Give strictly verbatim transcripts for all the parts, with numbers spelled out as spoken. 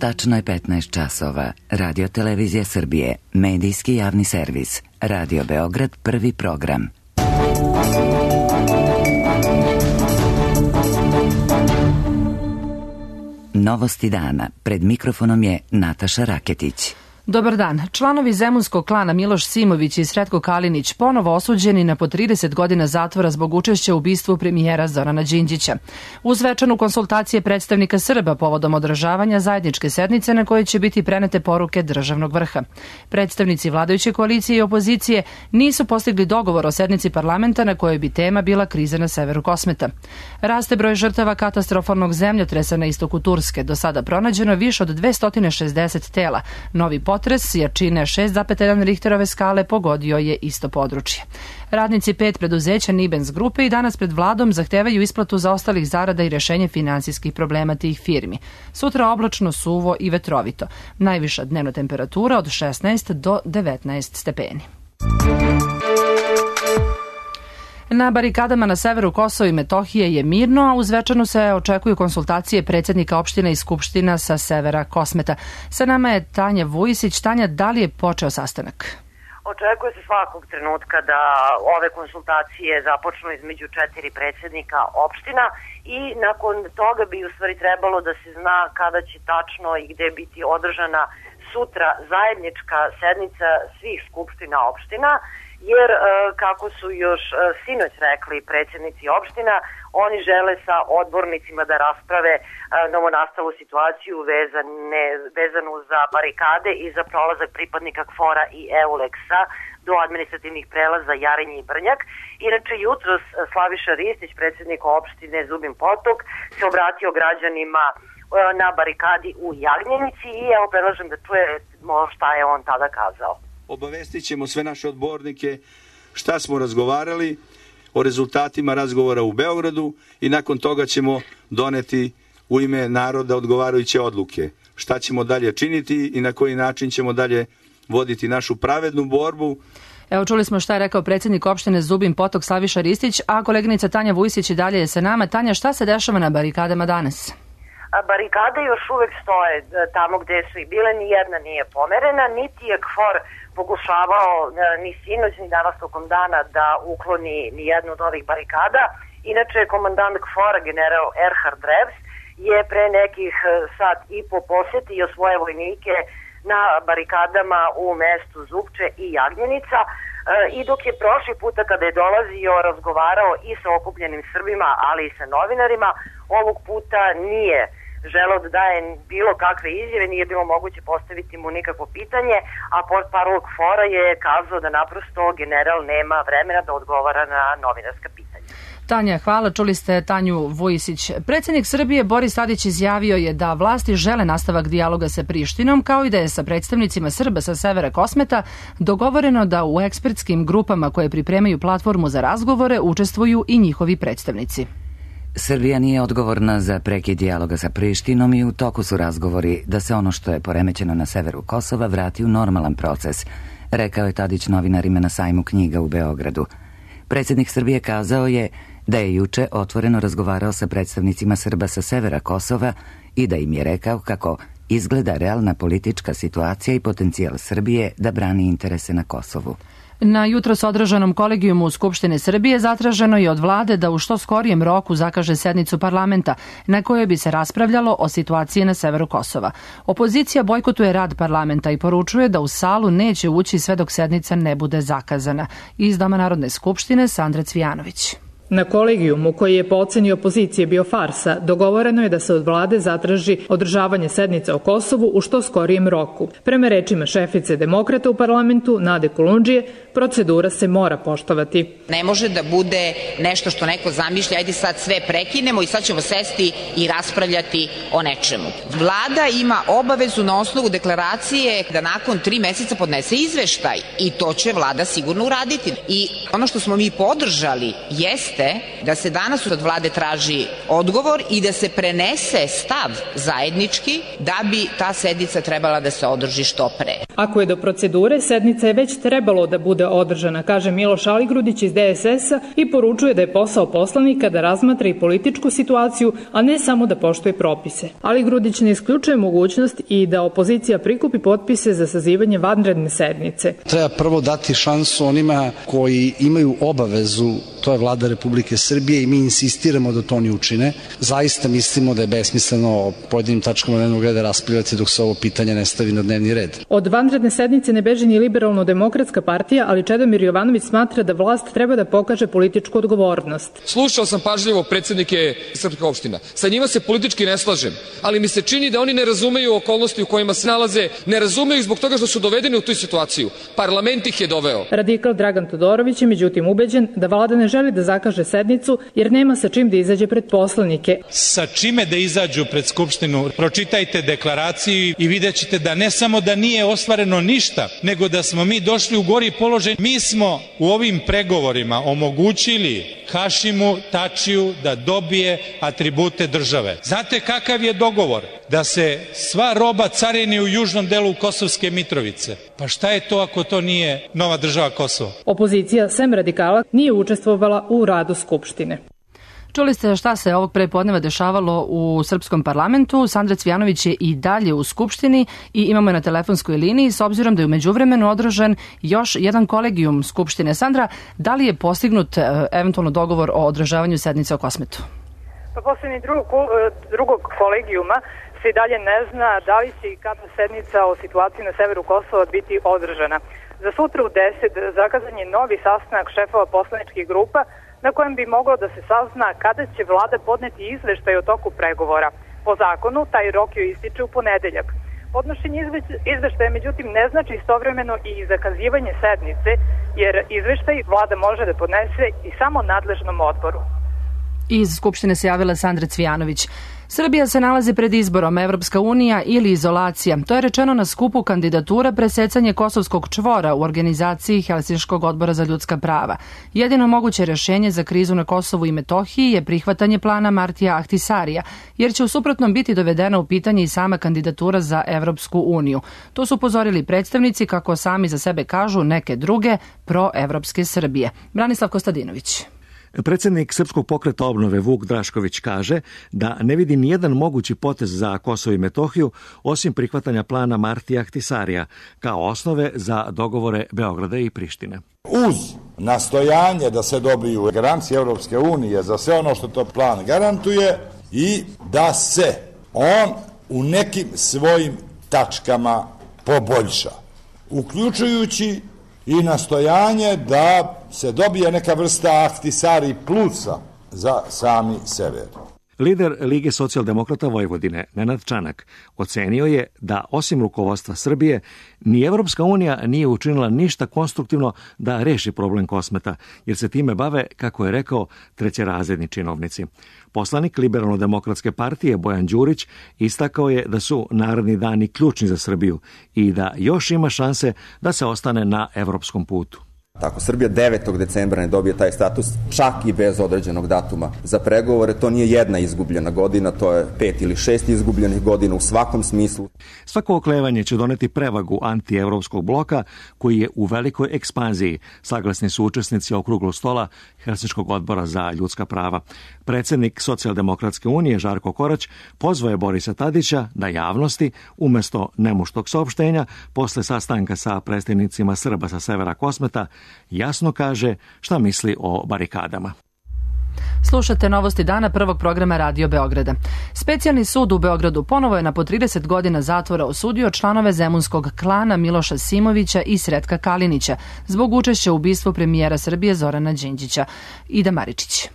Tačno je petnaest časova. Radio Televizija Srbije, medijski javni servis. Radio Beograd, prvi program. Novosti dana. Pred mikrofonom je Nataša Raketić. Dobar dan. Članovi zemunskog klana Miloš Simović i Sretko Kalinić ponovo osuđeni na po trideset godina zatvora zbog učešća u ubistvu premijera Zorana Đinđića. Uz svečanu konsultacije predstavnika Srba povodom održavanja zajedničke sednice na kojoj će biti prenete poruke državnog vrha. Predstavnici vladajuće koalicije i opozicije nisu postigli dogovor o sednici parlamenta na kojoj bi tema bila kriza na severu Kosmeta. Raste broj žrtava katastrofalnog zemljotresa na istoku Turske. Do sada pronađeno više od dvesta šezdeset tela. Novi potres jačine šest zarez jedan Richterove skale pogodio je isto područje. Radnici pet preduzeća Nibens grupe i danas pred vladom zahtevaju isplatu zaostalih zarada i rešenje finansijskih problema tih firmi. Sutra oblačno, suvo i vetrovito. Najviša dnevna temperatura od šesnaest do devetnaest stepeni. Na barikadama na severu Kosova i Metohije je mirno, a uz večanu se očekuju konsultacije predsjednika opština i skupština sa severa Kosmeta. Sa nama je Tanja Vujisić. Tanja, da li je počeo sastanak? Očekuje se svakog trenutka da ove konsultacije započnu između četiri predsjednika opština i nakon toga bi u stvari trebalo da se zna kada će tačno i gde biti održana sutra zajednička sednica svih skupština opština, jer kako su još sinoć rekli predsjednici opština, oni žele sa odbornicima da rasprave novonastalu situaciju vezane, vezanu za barikade i za prolazak pripadnika KFOR-a i EULEX-a do administrativnih prelaza Jarinje i Brnjak. Inače, jutros Slaviša Ristić, predsjednik opštine Zubin Potok, se obratio građanima na barikadi u Jagnjenici i evo predlažem da čujemo šta je on tada kazao. Obavestit ćemo sve naše odbornike šta smo razgovarali o rezultatima razgovora u Beogradu i nakon toga ćemo doneti u ime naroda odgovarajuće odluke. Šta ćemo dalje činiti i na koji način ćemo dalje voditi našu pravednu borbu. Evo, čuli smo šta je rekao predsjednik opštine Zubin Potok Slaviša Ristić, a koleginica Tanja Vujisić i dalje je sa nama. Tanja, šta se dešava na barikadama danas? Barikade još uvek stoje tamo gde su i bile, ni jedna nije pomerena, niti je KFOR pokušavao ni sinoć ni danas tokom dana da ukloni ni jednu od ovih barikada. Inače, komandant KFOR-a general Erhard Revs je pre nekih sat i po posetio svoje vojnike na barikadama u mestu Zupče i Jagnjenica i dok je prošli puta kada je dolazio razgovarao i sa okupljenim Srbima, ali i sa novinarima, ovog puta nije želeo da daje bilo kakve izjave, nije bilo moguće postaviti mu nikakvo pitanje, a portparol KFOR-a je kazao da naprosto general nema vremena da odgovara na novinarska pitanja. Tanja, hvala. Čuli ste Tanju Vujisić. Predsjednik Srbije Boris Tadić izjavio je da vlasti žele nastavak dijaloga sa Prištinom, kao i da je sa predstavnicima Srba sa severa Kosmeta dogovoreno da u ekspertskim grupama koje pripremaju platformu za razgovore učestvuju i njihovi predstavnici. Srbija nije odgovorna za prekid dijaloga sa Prištinom i u toku su razgovori da se ono što je poremećeno na severu Kosova vrati u normalan proces, rekao je Tadić novinarima na sajmu knjiga u Beogradu. Predsjednik Srbije kazao je da je juče otvoreno razgovarao sa predstavnicima Srba sa severa Kosova i da im je rekao kako izgleda realna politička situacija i potencijal Srbije da brani interese na Kosovu. Na jutros održanom kolegijumu Skupštine Srbije zatraženo je od vlade da u što skorijem roku zakaže sednicu parlamenta na kojoj bi se raspravljalo o situaciji na severu Kosova. Opozicija bojkotuje rad parlamenta i poručuje da u salu neće ući sve dok sednica ne bude zakazana. Iz Doma Narodne skupštine Sandra Cvijanović. Na kolegijumu, koji je po oceni opozicije bio farsa, dogovoreno je da se od vlade zatraži održavanje sednice o Kosovu u što skorijem roku. Prema rečima šefice demokrata u parlamentu, Nade Kulundžije, procedura se mora poštovati. Ne može da bude nešto što neko zamišlja, ajde sad sve prekinemo i sad ćemo sesti i raspravljati o nečemu. Vlada ima obavezu na osnovu deklaracije da nakon tri meseca podnese izveštaj i to će vlada sigurno uraditi. I ono što smo mi podržali jeste jeste da se danas od vlade traži odgovor i da se prenese stav zajednički da bi ta sednica trebala da se održi što pre. Ako je do procedure, sednica je već trebalo da bude održana, kaže Miloš Aligrudić iz D S S-a i poručuje da je posao poslanika da razmatra i političku situaciju, a ne samo da poštuje propise. Aligrudić ne isključuje mogućnost i da opozicija prikupi potpise za sazivanje vanredne sednice. Treba prvo dati šansu onima koji imaju obavezu, to je vlada Republike Srbije i mi insistiramo da to oni učine. Zaista mislimo da je besmisleno o pojedinim tačkama dnevnog reda raspravljati dok se ovo pitanje ne stavi na dnevni red. Od vanredne sednice ne beži ni Liberalno-demokratska partija, ali Čedomir Jovanović smatra da vlast treba da pokaže političku odgovornost. Slušao sam pažljivo predsjednike srpskih opština. Sa njima se politički ne slažem, ali mi se čini da oni ne razumeju okolnosti u kojima se nalaze, ne razumeju zbog toga što su dovedeni u tu situaciju. Parlament ih je doveo. Radikal Dragan Todorović je međutim ubeđen da vlada ne želi da zakaže sednicu jer nema sa čim da izađe pred poslanike. Sa čime da izađu pred Skupštinu? Pročitajte deklaraciju i vidjet ćete da ne samo da nije ostvareno ništa, nego da smo mi došli u gori položaj. Mi smo u ovim pregovorima omogućili Hašimu Tačiju da dobije atribute države. Znate kakav je dogovor? Da se sva roba carini u južnom delu Kosovske Mitrovice. Pa šta je to ako to nije nova država Kosovo? Opozicija, sem radikala, nije učestvovala u radu Skupštine. Čuli ste šta se ovog prepodneva dešavalo u srpskom parlamentu. Sandra Cvijanović je i dalje u Skupštini i imamo je na telefonskoj liniji s obzirom da je u međuvremenu održan još jedan kolegijum Skupštine. Sandra, da li je postignut eventualno dogovor o održavanju sednice o Kosmetu? Pa posljednji drugog, drugog kolegijuma se i dalje ne zna da li će i kada sednica o situaciji na severu Kosova biti održana. Za sutra u deset zakazan je novi sastanak šefova poslaničkih grupa na kojem bi moglo da se sazna kada će vlada podneti izveštaj o toku pregovora. Po zakonu, taj rok joj ističe u ponedeljak. Podnošenje izveštaja, međutim, ne znači istovremeno i zakazivanje sednice, jer izveštaj vlada može da podnese i samo nadležnom odboru. Iz Skupštine se javila Sandra Cvijanović. Srbija se nalazi pred izborom Evropska unija ili izolacija. To je rečeno na skupu kandidatura presecanje Kosovskog čvora u organizaciji Helsinškog odbora za ljudska prava. Jedino moguće rješenje za krizu na Kosovu i Metohiji je prihvatanje plana Martija Ahtisarija, jer će u suprotnom biti dovedena u pitanje i sama kandidatura za Evropsku uniju. To su upozorili predstavnici, kako sami za sebe kažu, neke druge proevropske Srbije. Branislav Kostadinović. Predsjednik Srpskog pokreta obnove Vuk Drašković kaže da ne vidi nijedan mogući potez za Kosovo i Metohiju osim prihvatanja plana Martija Ahtisarija kao osnove za dogovore Beograda i Prištine. Uz nastojanje da se dobiju garancije Europske unije za sve ono što to plan garantuje i da se on u nekim svojim tačkama poboljša, uključujući i nastojanje da se dobije neka vrsta Ahtisari plusa za sami sever. Lider Lige socijaldemokrata Vojvodine, Nenad Čanak, ocenio je da osim rukovodstva Srbije, ni Evropska unija nije učinila ništa konstruktivno da reši problem Kosmeta, jer se time bave, kako je rekao, trećerazredni činovnici. Poslanik Liberalno-demokratske partije Bojan Đurić istakao je da su naredni dani ključni za Srbiju i da još ima šanse da se ostane na evropskom putu. Ako Srbija devetog decembra ne dobije taj status, čak i bez određenog datuma za pregovore, to nije jedna izgubljena godina, to je pet ili šest izgubljenih godina u svakom smislu. Svako oklevanje će doneti prevagu antievropskog bloka koji je u velikoj ekspanziji, saglasni su učesnici okruglog stola Helsinškog odbora za ljudska prava. Predsjednik Socijaldemokratske unije Žarko Korać pozvao je Borisa Tadića da javnosti, umesto nemuštog saopštenja, posle sastanka sa predstavnicima Srba sa severa Kosmeta, jasno kaže šta misli o barikadama. Slušate novosti dana prvog programa Radio Beograda. Specijalni sud u Beogradu ponovo je na po trideset godina zatvora osudio članove zemunskog klana Miloša Simovića i Sretka Kalinića zbog učešća u ubistvu premijera Srbije Zorana Đinđića. Ida Maričić.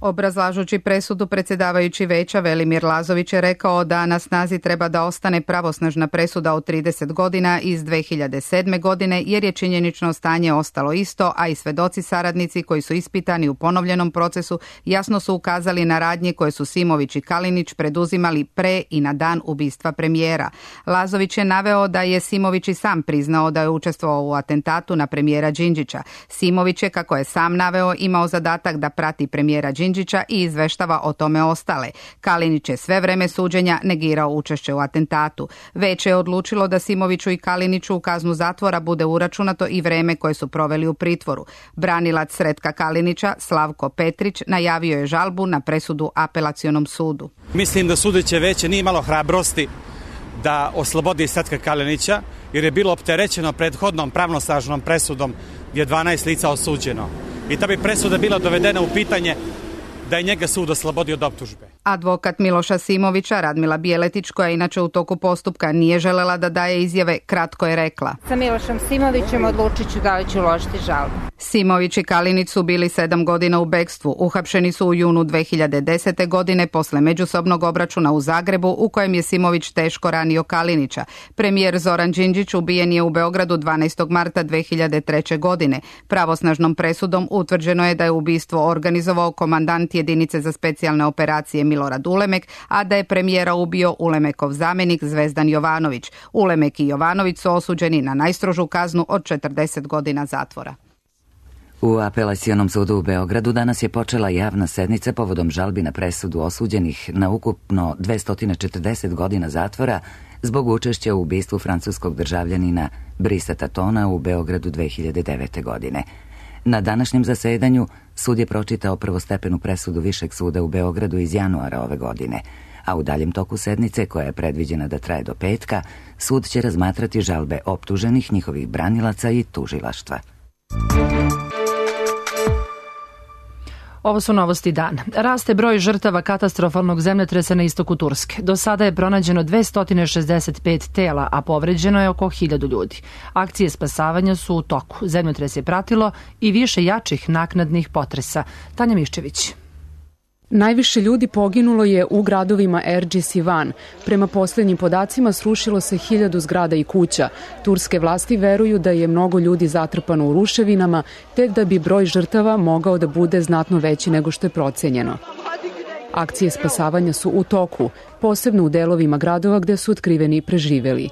Obrazlažući presudu, predsjedavajući veća Velimir Lazović je rekao da na snazi treba da ostane pravosnažna presuda od trideset godina iz dve hiljade sedme. godine jer je činjenično stanje ostalo isto, a i svedoci saradnici koji su ispitani u ponovljenom procesu jasno su ukazali na radnje koje su Simović i Kalinić preduzimali pre i na dan ubistva premijera. Lazović je naveo da je Simović i sam priznao da je učestvovao u atentatu na premijera Đinđića. Simović je, kako je sam naveo, imao zadatak da prati premijera Đinđića i izveštava o tome ostale. Kalinić je sve vreme suđenja negirao učešće u atentatu. Veće je odlučilo da Simoviću i Kaliniću u kaznu zatvora bude uračunato i vreme koje su proveli u pritvoru. Branilac Sretka Kalinića, Slavko Petrić, najavio je žalbu na presudu apelacionom sudu. Mislim da sudeće veće nije imalo hrabrosti da oslobodi Sretka Kalinića, jer je bilo opterećeno prethodnom pravnosnažnom presudom gdje je dvanaest lica osuđeno. I ta bi presuda bila dovedena u pitanje da je njega sud oslobodio od optužbe. Advokat Miloša Simovića, Radmila Bijeletić, koja inače u toku postupka nije želela da daje izjave, kratko je rekla: Sa Milošom Simovićem odlučit ću da li ću uložiti žalbu. Simović i Kalinić su bili sedam godina u bekstvu. Uhapšeni su u junu dve hiljade desete. godine posle međusobnog obračuna u Zagrebu u kojem je Simović teško ranio Kalinića. Premijer Zoran Đinđić ubijen je u Beogradu dvanaestog marta dve hiljade treće. godine. Pravosnažnom presudom utvrđeno je da je ubistvo organizovao komandant jedinice za specijalne operacije Milorad Ulemek, a da je premijera ubio Ulemekov zamenik Zvezdan Jovanović. Ulemek i Jovanović su osuđeni na najstrožu kaznu od četrdeset godina zatvora. U apelacionom sudu u Beogradu danas je počela javna sednica povodom žalbi na presudu osuđenih na ukupno dvesta četrdeset godina zatvora zbog učešća u ubistvu francuskog državljanina Brisa Tatona u Beogradu dve hiljade devete. godine. Na današnjem zasedanju sud je pročitao prvostepenu presudu Višeg suda u Beogradu iz januara ove godine, a u daljem toku sednice, koja je predviđena da traje do petka, sud će razmatrati žalbe optuženih, njihovih branilaca i tužilaštva. Ovo su novosti dana. Raste broj žrtava katastrofalnog zemljotresa na istoku Turske. Do sada je pronađeno dvesta šezdeset pet tela, a povređeno je oko hiljadu ljudi. Akcije spasavanja su u toku. Zemljotres je pratilo i više jačih naknadnih potresa. Tanja Miščević. Najviše ljudi poginulo je u gradovima Erđis i Van. Prema posljednjim podacima srušilo se hiljadu zgrada i kuća. Turske vlasti veruju da je mnogo ljudi zatrpano u ruševinama, te da bi broj žrtava mogao da bude znatno veći nego što je procenjeno. Akcije spasavanja su u toku, posebno u delovima gradova gde su otkriveni preživeli.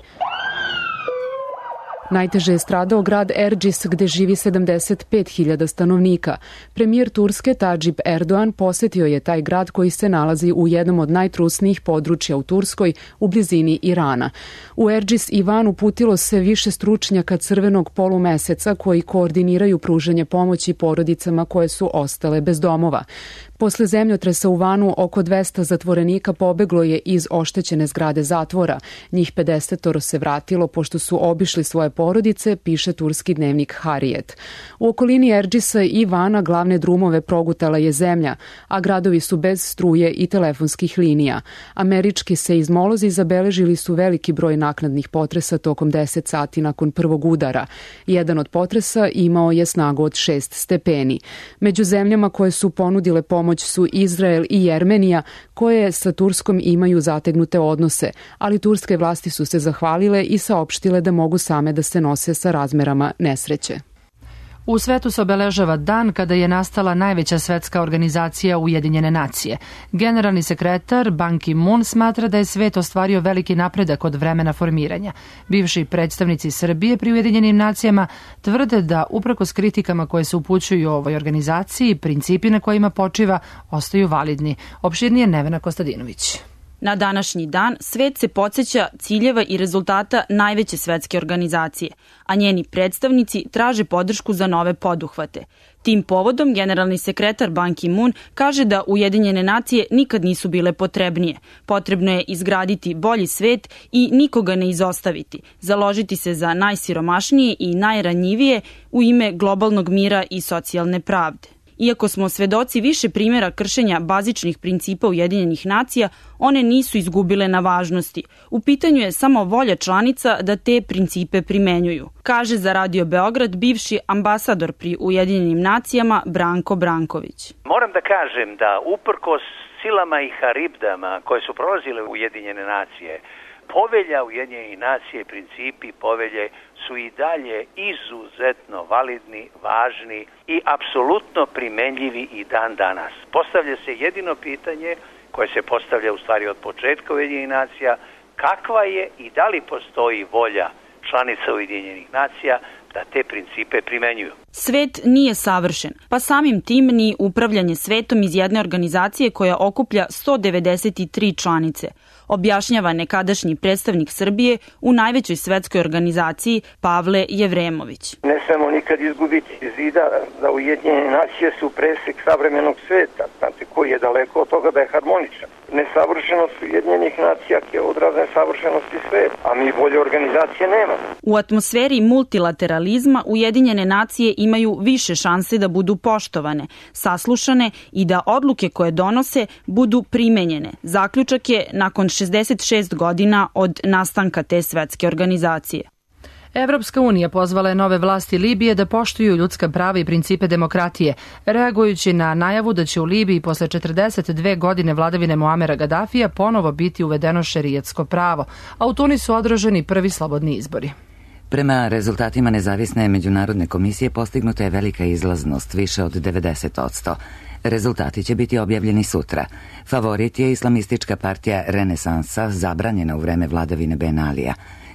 Najteže je stradao grad Erđis, gde živi sedamdeset pet hiljada stanovnika. Premijer Turske Tadžip Erdogan posetio je taj grad koji se nalazi u jednom od najtrusnijih područja u Turskoj, u blizini Irana. U Erđis i Van uputilo se više stručnjaka Crvenog polumeseca koji koordiniraju pružanje pomoći porodicama koje su ostale bez domova. Posle zemljotresa u Vanu oko dvesta zatvorenika pobeglo je iz oštećene zgrade zatvora. Njih pedeset se vratilo pošto su obišli svoje porodice, piše turski dnevnik Harijet. U okolini Erđisa i Vana glavne drumove progutala je zemlja, a gradovi su bez struje i telefonskih linija. Američki seizmolozi zabeležili su veliki broj naknadnih potresa tokom deset sati nakon prvog udara. Jedan od potresa imao je snagu od šest stepeni. Među zemljama koje su ponudile pomoć su Izrael i Jermenija, koje sa Turskom imaju zategnute odnose, ali turske vlasti su se zahvalile i saopštile da mogu same da se nose sa razmerama nesreće. U svetu se obeležava dan kada je nastala najveća svetska organizacija Ujedinjene nacije. Generalni sekretar Ban Ki-moon smatra da je svet ostvario veliki napredak od vremena formiranja. Bivši predstavnici Srbije pri Ujedinjenim nacijama tvrde da uprkos kritikama koje se upućuju o ovoj organizaciji, principi na kojima počiva ostaju validni. Opširnije Nevena Kostadinović. Na današnji dan svet se podsjeća ciljeva i rezultata najveće svetske organizacije, a njeni predstavnici traže podršku za nove poduhvate. Tim povodom generalni sekretar Ban Ki-moon kaže da Ujedinjene nacije nikad nisu bile potrebnije. Potrebno je izgraditi bolji svet i nikoga ne izostaviti, založiti se za najsiromašnije i najranjivije u ime globalnog mira i socijalne pravde. Iako smo svedoci više primjera kršenja bazičnih principa Ujedinjenih nacija, one nisu izgubile na važnosti. U pitanju je samo volja članica da te principe primenjuju, kaže za Radio Beograd bivši ambasador pri Ujedinjenim nacijama Branko Branković. Moram da kažem da uprkos silama i haribdama koje su prolazile u Ujedinjene nacije, povelja Ujedinjenih nacija i principi povelje su i dalje izuzetno validni, važni i apsolutno primenljivi i dan danas. Postavlja se jedino pitanje koje se postavlja u stvari od početka Ujedinjenih nacija, kakva je i da li postoji volja članica Ujedinjenih nacija da te principe primenjuju. Svet nije savršen, pa samim tim ni upravljanje svetom iz jedne organizacije koja okuplja sto devedeset tri članice, objašnjava nekadašnji predstavnik Srbije u najvećoj svetskoj organizaciji Pavle Jevremović. Ne smemo nikad izgubiti iz vida da Ujedinjene nacije su presek savremenog sveta, znate, koji je daleko od toga da je harmoničan. Nesavršenost Ujedinjenih nacija je odraz nesavršenosti sveta, a mi bolje organizacije nemamo. U atmosferi multilateralizma Ujedinjene nacije imaju više šanse da budu poštovane, saslušane i da odluke koje donose budu primenjene. Zaključak je nakon šezdeset šest godina od nastanka te svetske organizacije. Evropska unija pozvala je nove vlasti Libije da poštuju ljudska prava i principe demokratije, reagujući na najavu da će u Libiji posle četrdeset dve godine vladavine Muamera Gadafija ponovo biti uvedeno šerijatsko pravo, a u Tunisu održani prvi slobodni izbori. Prema rezultatima nezavisne međunarodne komisije postignuta je velika izlaznost, više od devedeset posto. Rezultati će biti objavljeni sutra. Favorit je islamistička partija Renesansa, zabranjena u vreme vladavine Ben Alija.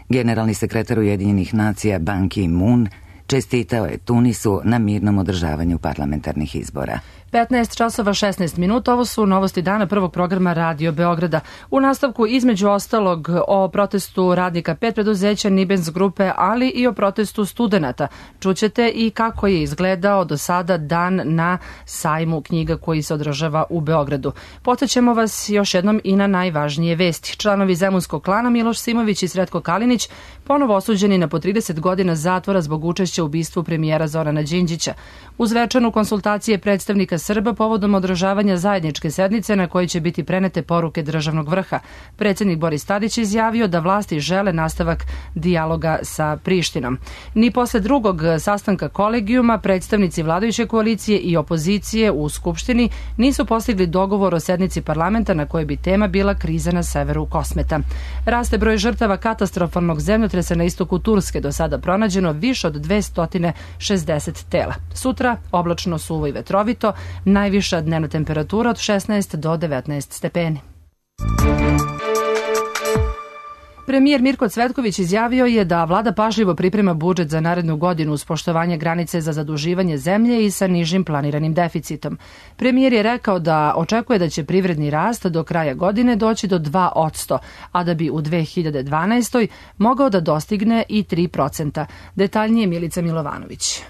Generalni sekretar Ujedinjenih nacija Ban Ki-moon čestitao je Tunisu na mirnom održavanju parlamentarnih izbora. petnaest časova šesnaest minuta, ovo su novosti dana prvog programa Radio Beograda. U nastavku između ostalog o protestu radnika pet preduzeća Nibens grupe, ali i o protestu studenata. Čućete i kako je izgledao do sada dan na sajmu knjiga koji se održava u Beogradu. Podsjećamo vas još jednom i na najvažnije vesti. Članovi zemunskog klana Miloš Simović i Sretko Kalinić ponovo osuđeni na po trideset godina zatvora zbog učešća u ubistvu premijera Zorana Đinđića. Uz večanu konsultacije predstavnika Srba povodom održavanja zajedničke sednice na kojoj će biti prenete poruke državnog vrha. Predsjednik Boris Tadić izjavio da vlasti žele nastavak dijaloga sa Prištinom. Ni posle drugog sastanka kolegijuma predstavnici vladajuće koalicije i opozicije u Skupštini nisu postigli dogovor o sednici parlamenta na kojoj bi tema bila kriza na severu Kosmeta. Raste broj žrtava katastrofalnog zemljotresa na istoku Turske, do sada pronađeno više od dvesta šezdeset tela. Sutra oblačno, suvo i vetrovito, najviša dnevna temperatura od šesnaest do devetnaest stepeni. Premijer Mirko Cvetković izjavio je da vlada pažljivo priprema budžet za narednu godinu uz poštovanje granice za zaduživanje zemlje i sa nižim planiranim deficitom. Premijer je rekao da očekuje da će privredni rast do kraja godine doći do dva posto, a da bi u dve hiljade dvanaestoj mogao da dostigne i tri posto. Detaljnije Milica Milovanović.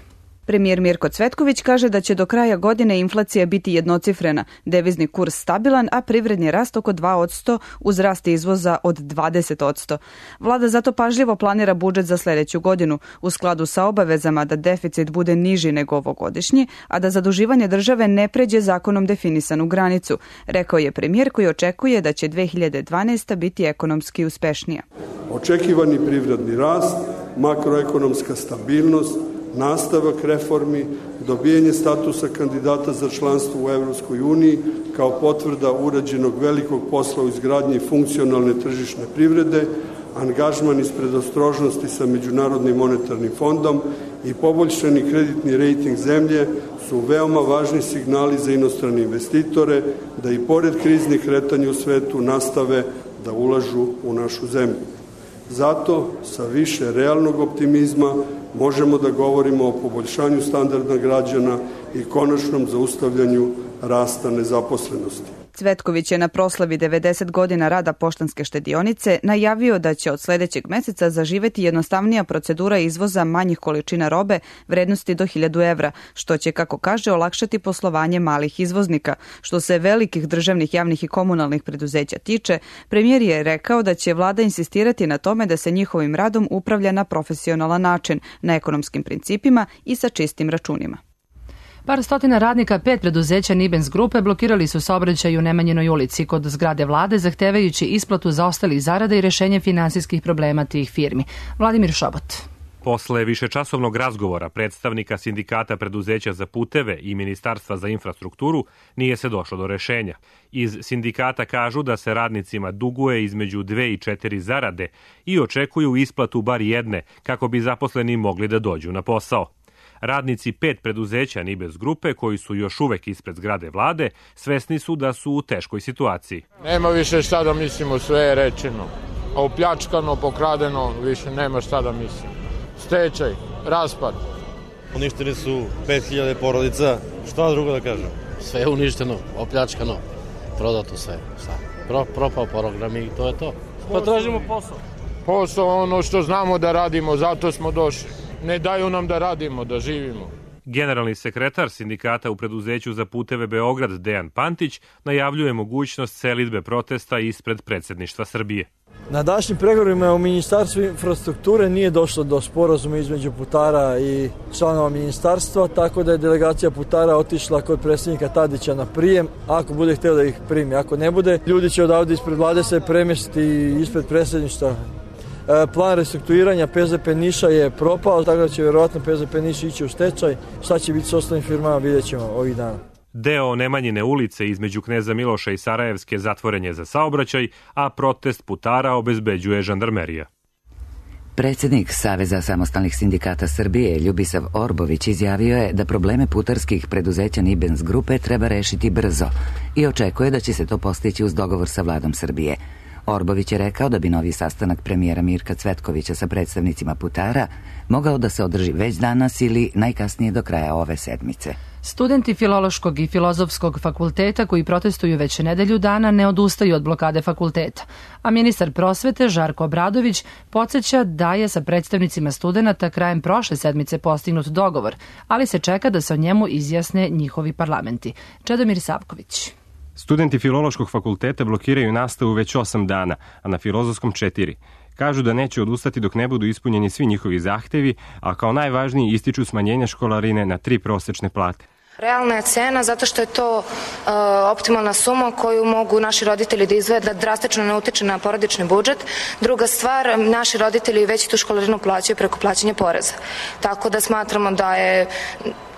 Premijer Mirko Cvetković kaže da će do kraja godine inflacija biti jednocifrena, devizni kurs stabilan, a privredni rast oko dva posto uz rast izvoza od dvadeset posto. Vlada zato pažljivo planira budžet za sljedeću godinu, u skladu sa obavezama da deficit bude niži nego ovogodišnji, a da zaduživanje države ne pređe zakonom definisanu granicu, rekao je premijer koji očekuje da će dve hiljade dvanaesta. biti ekonomski uspešnija. Očekivani privredni rast, makroekonomska stabilnost, nastavak reformi, dobijanje statusa kandidata za članstvo u Evropskoj uniji kao potvrda urađenog velikog posla u izgradnji funkcionalne tržišne privrede, angažman iz predostrožnosti sa Međunarodnim monetarnim fondom i poboljšani kreditni rejting zemlje su veoma važni signali za inostrane investitore da i pored kriznih kretanja u svetu nastave da ulažu u našu zemlju. Zato, sa više realnog optimizma, možemo da govorimo o poboljšanju standarda građana i konačnom zaustavljanju rasta nezaposlenosti. Cvetković je na proslavi devedeset godina rada Poštanske štedionice najavio da će od sljedećeg meseca zaživeti jednostavnija procedura izvoza manjih količina robe vrednosti do hiljadu evra, što će, kako kaže, olakšati poslovanje malih izvoznika. Što se velikih državnih, javnih i komunalnih preduzeća tiče, premijer je rekao da će vlada insistirati na tome da se njihovim radom upravlja na profesionalan način, na ekonomskim principima i sa čistim računima. Par stotina radnika pet preduzeća Nibens grupe blokirali su saobraćaj u Nemanjinoj ulici kod zgrade vlade, zahtevajući isplatu zaostalih zarada i rešenje finansijskih problema tih firmi. Vladimir Šobot. Posle višečasovnog razgovora predstavnika sindikata preduzeća za puteve i Ministarstva za infrastrukturu nije se došlo do rešenja. Iz sindikata kažu da se radnicima duguje između dve i četiri zarade i očekuju isplatu bar jedne kako bi zaposleni mogli da dođu na posao. Radnici pet preduzeća Nibens grupe, koji su još uvek ispred zgrade vlade, svesni su da su u teškoj situaciji. Nema više šta da mislimo, sve je rečeno. Opljačkano, pokradeno, više nema šta da mislimo. Stečaj, raspad. Uništeni su pet hiljada porodica, šta drugo da kažem? Sve je uništeno, opljačkano, prodato sve. Pro, propao program i to je to. Pa tražimo posao. Posao ono što znamo da radimo, zato smo došli. Ne daju nam da radimo, da živimo. Generalni sekretar sindikata u preduzeću za puteve Beograd Dejan Pantić najavljuje mogućnost selidbe protesta ispred predsjedništva Srbije. Na današnjim pregovorima u Ministarstvu infrastrukture nije došlo do sporazuma između putara i članova ministarstva, tako da je delegacija putara otišla kod predsjednika Tadića na prijem, ako bude htio da ih primi. Ako ne bude, ljudi će odavde ispred vlade se premjestiti ispred predsjedništva. Plan restrukturiranja P Z P Niša je propao, tako da će vjerovatno P Z P Niš ići u stečaj. Šta će biti s ostalim firmama, vidjet ćemo ovih dana. Deo Nemanjine ulice između Kneza Miloša i Sarajevske zatvoren je za saobraćaj, a protest putara obezbeđuje žandarmerija. Predsjednik Saveza samostalnih sindikata Srbije Ljubisav Orbović izjavio je da probleme putarskih preduzeća Nibens grupe treba rešiti brzo i očekuje da će se to postići uz dogovor sa vladom Srbije. Orbović je rekao da bi novi sastanak premijera Mirka Cvetkovića sa predstavnicima putara mogao da se održi već danas ili najkasnije do kraja ove sedmice. Studenti Filološkog i Filozofskog fakulteta koji protestuju već nedelju dana ne odustaju od blokade fakulteta, a ministar prosvete Žarko Obradović podsjeća da je sa predstavnicima studenata krajem prošle sedmice postignut dogovor, ali se čeka da se o njemu izjasne njihovi parlamenti. Čedomir Savković. Studenti Filološkog fakulteta blokiraju nastavu već osam dana, a na Filozofskom četiri. Kažu da neće odustati dok ne budu ispunjeni svi njihovi zahtevi, a kao najvažniji ističu smanjenje školarine na tri prosečne plate. Realna je cena zato što je to uh, optimalna suma koju mogu naši roditelji da izdvoje, da drastično ne utiče na porodični budžet. Druga stvar, naši roditelji već tu školarinu plaćaju preko plaćanja poreza. Tako da smatramo da je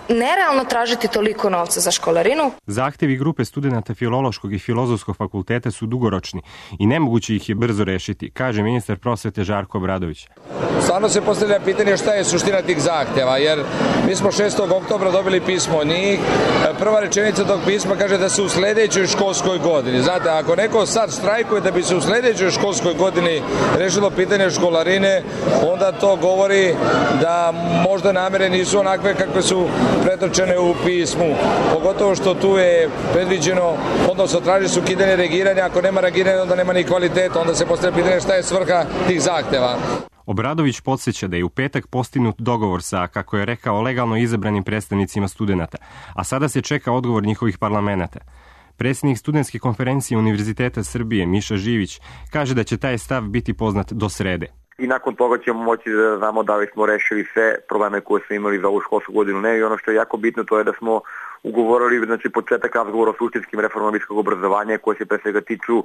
nerealno tražiti toliko novca za školarinu. Zahtevi grupe studenata Filološkog i Filozofskog fakulteta su dugoročni i nemoguće ih je brzo rešiti, kaže ministar prosvete Žarko Obradović. Stvarno se postavlja pitanje šta je suština tih zahteva, jer mi smo šestog oktobra dobili pismo od njih. Prva rečenica tog pisma kaže da se u sledećoj školskoj godini. Znate, ako neko sad štrajkuje da bi se u sledećoj školskoj godini rešilo pitanje školarine, onda to govori da možda namere nisu onakve kakve su pretočene u pismu. Pogotovo što tu je predviđeno, odnosno traži se ukidanje reagiranja, ako nema reagiranja onda nema ni kvaliteta, onda se postavlja pitanje šta je svrha tih zahteva. Obradović podsjeća da je u petak postignut dogovor sa, kako je rekao, legalno izabranim predstavnicima studenata, a sada se čeka odgovor njihovih parlamenata. Predsjednik studentske konferencije Univerziteta Srbije Miša Živić kaže da će taj stav biti poznat do srede. I nakon toga ćemo moći da znamo da li smo rešili sve probleme koje smo imali za ovu školsku godinu. Ne, i ono što je jako bitno to je da smo ugovorili znači, početak razgovora o suštinskim reformama visokog obrazovanja koje se pre svega tiču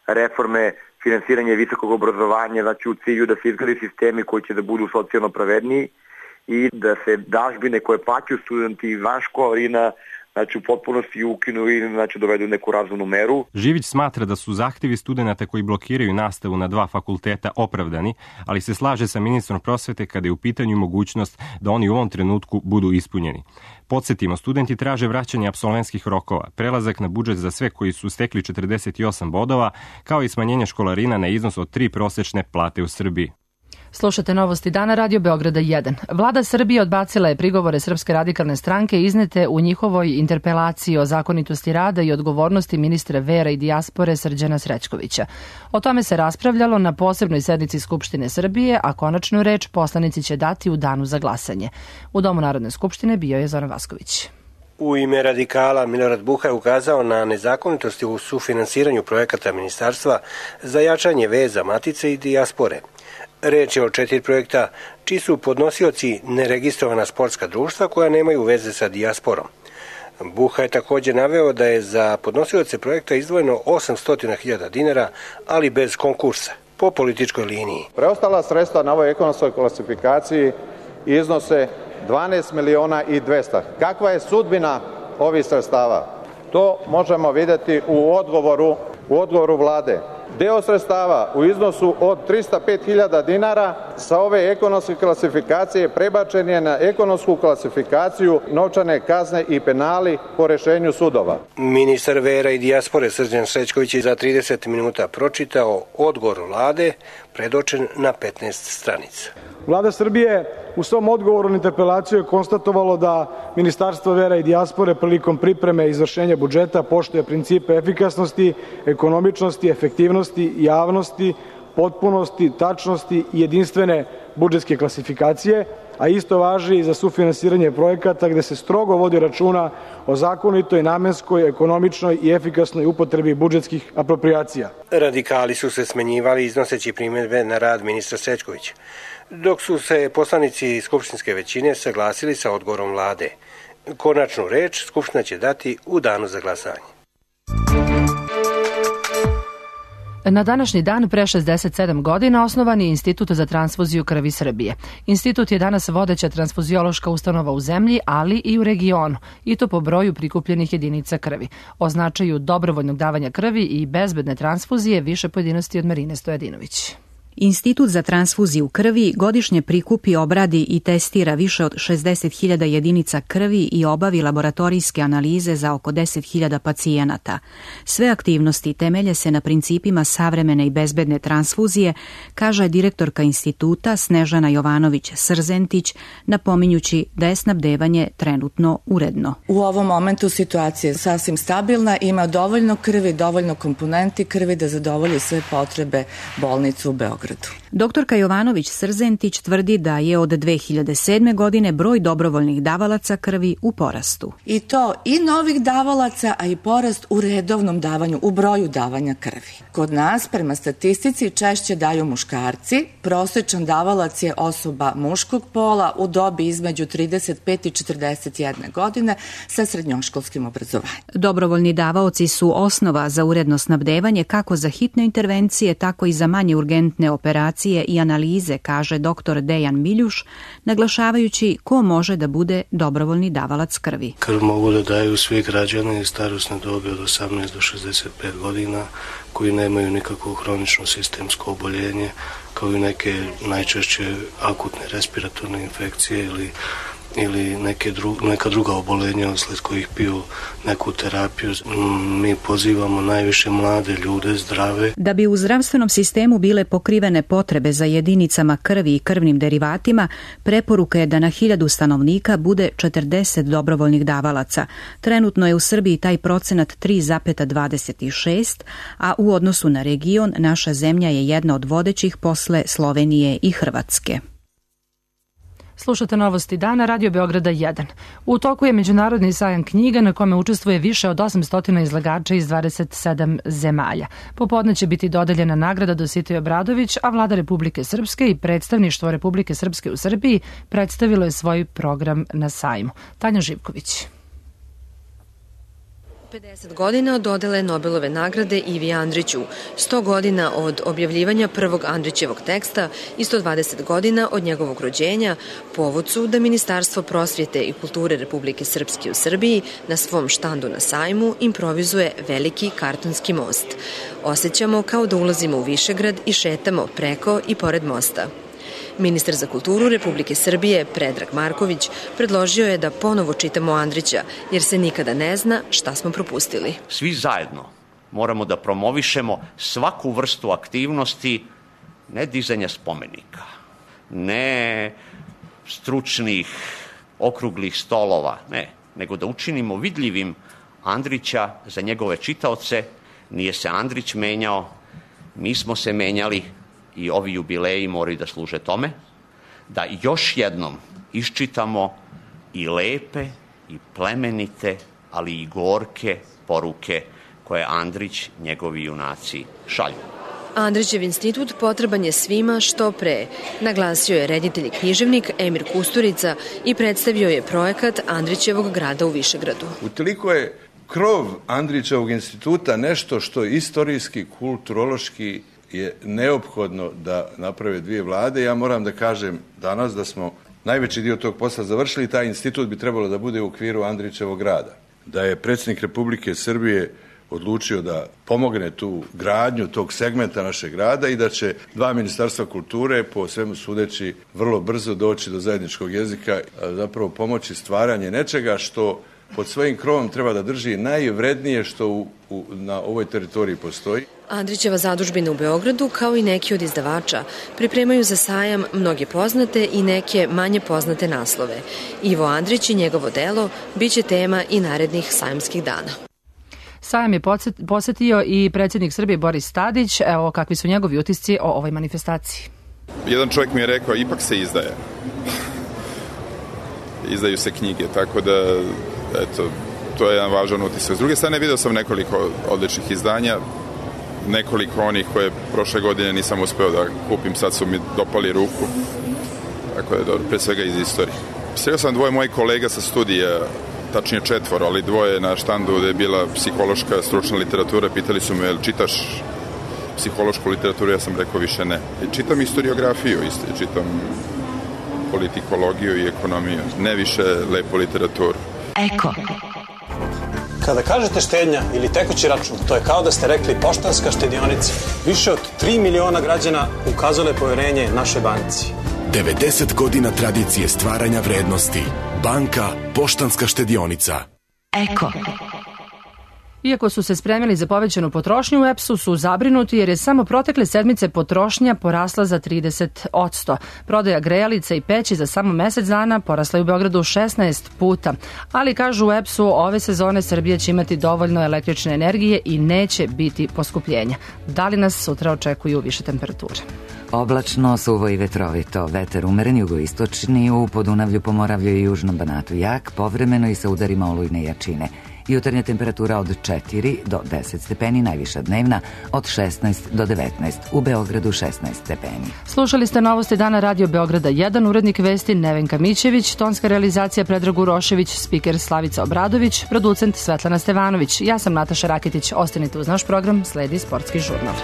reforme finansiranja visokog obrazovanja, znači u cilju da se izgradi sistemi koji će da budu socijalno pravedniji i da se dažbine koje plaćaju studenti van školarina znači u potpunosti ukinu i znači dovedu neku razumnu meru. Živić smatra da su zahtevi studenata koji blokiraju nastavu na dva fakulteta opravdani, ali se slaže sa ministrom prosvete kada je u pitanju mogućnost da oni u ovom trenutku budu ispunjeni. Podsjetimo, studenti traže vraćanje apsolventskih rokova, prelazak na budžet za sve koji su stekli četrdeset osam bodova, kao i smanjenje školarina na iznos od tri prosečne plate u Srbiji. Slušate novosti dana Radio Beograda jedan. Vlada Srbije odbacila je prigovore Srpske radikalne stranke iznete u njihovoj interpelaciji o zakonitosti rada i odgovornosti ministra vera i dijaspore Srđana Srećkovića. O tome se raspravljalo na posebnoj sednici Skupštine Srbije, a konačnu reč poslanici će dati u danu za glasanje. U Domu Narodne skupštine bio je Zoran Vasković. U ime radikala Milorad Buha je ukazao na nezakonitosti u sufinansiranju projekata ministarstva za jačanje veza matice i dijaspore. Reč je o četiri projekta čiji su podnosioci neregistrovana sportska društva koja nemaju veze sa dijasporom. Buha je također naveo da je za podnosioce projekta izdvojeno osamsto hiljada dinara, ali bez konkursa, po političkoj liniji. Preostala sredstva na ovoj ekonomskoj klasifikaciji iznose dvanaest miliona i dvesta. Kakva je sudbina ovih sredstava? To možemo vidjeti u odgovoru, u odgovoru vlade. Deo sredstava u iznosu od trista pet hiljada dinara sa ove ekonomske klasifikacije prebačen je na ekonomsku klasifikaciju novčane kazne i penali po rešenju sudova. Ministar vera i dijaspore Srđan Srećković je za trideset minuta pročitao odgovor vlade predočen na petnaest stranica. Vlada Srbije u svom odgovoru na interpelaciju je konstatovalo da Ministarstvo vera i dijaspore prilikom pripreme i izvršenja budžeta poštuje principe efikasnosti, ekonomičnosti, efektivnosti, javnosti, potpunosti, tačnosti i jedinstvene budžetske klasifikacije, a isto važi i za sufinansiranje projekata gde se strogo vodi računa o zakonitoj, namenskoj, ekonomičnoj i efikasnoj upotrebi budžetskih aproprijacija. Radikali su se smenjivali iznoseći primjedbe na rad ministra Srećkovića, dok su se poslanici skupštinske većine saglasili sa odgovorom vlade. Konačnu reč Skupština će dati u danu za glasanje. Na današnji dan pre šezdeset sedam godina osnovan je Institut za transfuziju krvi Srbije. Institut je danas vodeća transfuziološka ustanova u zemlji, ali i u regionu, i to po broju prikupljenih jedinica krvi. O značaju dobrovoljnog davanja krvi i bezbedne transfuzije više pojedinosti od Marine Stojadinović. Institut za transfuziju krvi godišnje prikupi, obradi i testira više od šezdeset hiljada jedinica krvi i obavi laboratorijske analize za oko deset hiljada pacijenata. Sve aktivnosti temelje se na principima savremene i bezbedne transfuzije, kaže direktorka instituta Snežana Jovanović-Srzentić, napominjući da je snabdevanje trenutno uredno. U ovom momentu situacija je sasvim stabilna, ima dovoljno krvi, dovoljno komponenti krvi da zadovolji sve potrebe bolnice u Beogradu. Doktorka Jovanović-Srzentić tvrdi da je od dve hiljade sedme. godine broj dobrovoljnih davalaca krvi u porastu. I to i novih davalaca, a i porast u redovnom davanju, u broju davanja krvi. Kod nas, prema statistici, češće daju muškarci. Prosječan davalac je osoba muškog pola u dobi između trideset pet i četrdeset jedne godine sa srednjoškolskim obrazovanjem. Dobrovoljni davaoci su osnova za uredno snabdevanje kako za hitne intervencije, tako i za manje urgentne operacije i analize, kaže doktor Dejan Miljuš, naglašavajući ko može da bude dobrovoljni davalac krvi. Krv mogu da daju svi građani starosne dobi od osamnaest do šezdeset pet godina koji nemaju nikakvo hronično sistemsko oboljenje, kao i neke najčešće akutne respiratorne infekcije ili ili neke dru, neka druga obolenja usled kojih piju neku terapiju. Mi pozivamo najviše mlade ljude, zdrave. Da bi u zdravstvenom sistemu bile pokrivene potrebe za jedinicama krvi i krvnim derivatima, preporuka je da na hiljadu stanovnika bude četrdeset dobrovoljnih davalaca. Trenutno je u Srbiji taj procenat tri zarez dvadeset šest, a u odnosu na region naša zemlja je jedna od vodećih posle Slovenije i Hrvatske. Slušate novosti dana, Radio Beograda jedan. U toku je Međunarodni sajam knjiga na kome učestvuje više od osamsto izlagača iz dvadeset sedam zemalja. Popodne će biti dodeljena nagrada Dositej Obradović, a Vlada Republike Srpske i predstavništvo Republike Srpske u Srbiji predstavilo je svoj program na sajmu. Tanja Živković. pedeset godina od dodele Nobelove nagrade Ivi Andriću, sto godina od objavljivanja prvog Andrićevog teksta i sto dvadeset godina od njegovog rođenja, povod su da Ministarstvo prosvjete i kulture Republike Srpske u Srbiji na svom štandu na sajmu improvizuje veliki kartonski most. Osjećamo kao da ulazimo u Višegrad i šetamo preko i pored mosta. Ministar za kulturu Republike Srbije, Predrag Marković, predložio je da ponovo čitamo Andrića, jer se nikada ne zna šta smo propustili. Svi zajedno moramo da promovišemo svaku vrstu aktivnosti, ne dizanja spomenika, ne stručnih okruglih stolova, ne, nego da učinimo vidljivim Andrića za njegove čitaoce. Nije se Andrić menjao, mi smo se menjali, i ovi jubileji moraju da služe tome, da još jednom iščitamo i lepe, i plemenite, ali i gorke poruke koje Andrić, njegovi junaci šalju. Andrićev institut potreban je svima što pre, naglasio je reditelj i književnik Emir Kusturica i predstavio je projekat Andrićevog grada u Višegradu. Utoliko je krov Andrićevog instituta nešto što istorijski, kulturološki je neophodno da naprave dvije vlade. Ja moram da kažem danas da smo najveći dio tog posla završili i taj institut bi trebalo da bude u okviru Andrićevog grada. Da je predsjednik Republike Srbije odlučio da pomogne tu gradnju tog segmenta našeg grada i da će dva ministarstva kulture po svemu sudeći vrlo brzo doći do zajedničkog jezika, zapravo pomoći stvaranje nečega što pod svojim krovom treba da drži najvrednije što u, u, na ovoj teritoriji postoji. Andrićeva zadužbina u Beogradu, kao i neki od izdavača, pripremaju za sajam mnoge poznate i neke manje poznate naslove. Ivo Andrić i njegovo delo biće tema i narednih sajamskih dana. Sajam je posetio i predsjednik Srbije Boris Tadić. Evo kakvi su njegovi utisci o ovoj manifestaciji. Jedan čovjek mi je rekao, ipak se izdaje. Izdaju se knjige, tako da, eto, to je jedan važan utisak. S druge strane, vidio sam nekoliko odličnih izdanja, nekoliko onih koje prošle godine nisam uspeo da kupim, sad su mi dopali ruku. Tako da je dobro, pre svega iz istorije. Sreo sam dvoje mojih kolega sa studija, tačnije četvoro, ali dvoje na štandu gde je bila psihološka stručna literatura, pitali su me, jel čitaš psihološku literaturu, ja sam rekao više ne. I čitam historiografiju isto, čitam politikologiju i ekonomiju, ne više lepu literaturu. Eko. Kada kažete štednja ili tekući račun, to je kao da ste rekli Poštanska štedionica. Više od tri miliona građana ukazale poverenje našoj banci. devedeset godina tradicije stvaranja vrednosti. Banka Poštanska štedionica. Eko. Iako su se spremili za povećanu potrošnju, u E P S-u su zabrinuti jer je samo protekle sedmice potrošnja porasla za trideset posto. Prodaja grejalica i peći za samo mesec dana porasla je u Beogradu šesnaest puta. Ali, kažu u E P S-u, ove sezone Srbija će imati dovoljno električne energije i neće biti poskupljenja. Da li nas sutra očekuju više temperature? Oblačno, suvo i vetrovito. Vetar umeren jugoistočni, u Podunavlju, Pomoravlju i Južnom Banatu jak, povremeno i sa udarima olujne jačine. Jutarnja temperatura od četiri do deset stepeni, najviša dnevna od šesnaest do devetnaest, u Beogradu šesnaest stepeni. Slušali ste novosti dana Radio Beograda jedan, urednik vesti Nevenka Mićević, tonska realizacija Predrag Urošević, spiker Slavica Obradović, producent Svetlana Stevanović. Ja sam Nataša Raketić, ostanite uz naš program, sledi Sportski žurnal.